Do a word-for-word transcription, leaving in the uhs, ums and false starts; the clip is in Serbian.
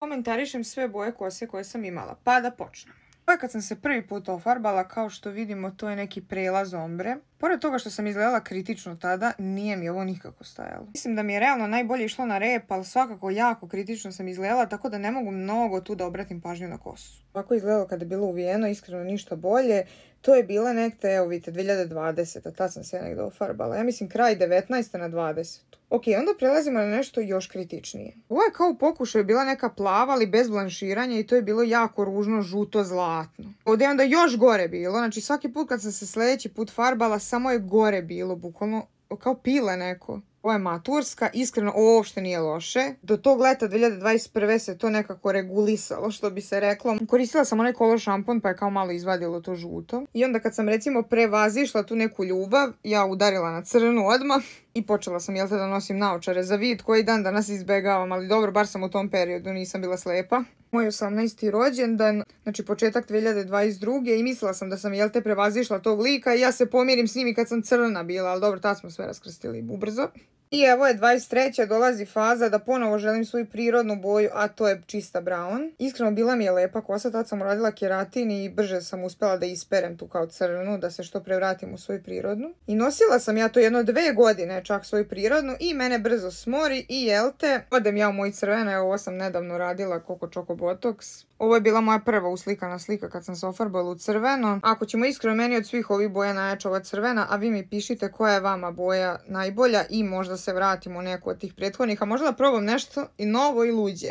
Komentarišem sve boje kose koje sam imala, pa da počnem. Ovo je kad sam se prvi put ofarbala, kao što vidimo to je neki prelaz ombre. Pored toga što sam izgledala kritično tada, nije mi ovo nikako stajalo. Mislim da mi je realno najbolje išlo na rep, ali svakako jako kritično sam izgledala, tako da ne mogu mnogo tu da obratim pažnju na kosu. Ovako izgledalo kada je bilo uvijeno, iskreno ništa bolje. To je bila nekde, evo vidite, dve hiljade dvadeseta, tad sam se ja negdje ofarbala. Ja mislim kraj devetnaeste na dvadesetu. Ok, onda prelazimo na nešto još kritičnije. Ovo je kao u pokušaju bila neka plava, ali bez blanširanja i to je bilo jako ružno, žuto, zlatno. Ovdje je onda još gore bilo, znači svaki put kad sam se sljedeći put farbala, samo je gore bilo, bukvalno kao pile neko. Ovo je maturska, iskreno ovo uopšte nije loše. Do tog leta dve hiljade dvadeset prve se to nekako regulisalo, što bi se reklo. Koristila sam onaj color šampon pa je kao malo izvadilo to žuto. I onda kad sam recimo prevazišla tu neku ljubav, ja udarila na crnu odmah i počela sam, jel te, da nosim naočare za vid koji dan danas izbegavam, ali dobro, bar sam u tom periodu, nisam bila slepa. Moj osamnaesti rođendan, znači početak dve hiljade dvadeset druge i mislila sam da sam, jel te, prevazišla tog lika i ja se pomirim s njim i kad sam crna bila, ali dobro, tad smo sve raskrstili ubrzo. I evo je dvadeset treća dolazi faza da ponovo želim svoju prirodnu boju, a to je čista brown. Iskreno bila mi je lepa kosa, tad sam uradila keratin i brže sam uspjela da isperem tu kao crnu, da se što pre vratim u svoju prirodnu. I nosila sam ja to jedno dve godine čak svoju prirodnu i mene brzo smori i jel te, odem ja u moj crvena, evo ovo sam nedavno radila Coco Choco Botox. Ovo je bila moja prva uslikana slika kad sam se ofarbala u crveno. Ako ćemo iskreno, meni od svih ovih boja najjača ova crvena, a vi mi pišite koja je vama boja najbolja i možda se vratimo u neku od tih prethodnih, a možda da probam nešto i novo i luđe.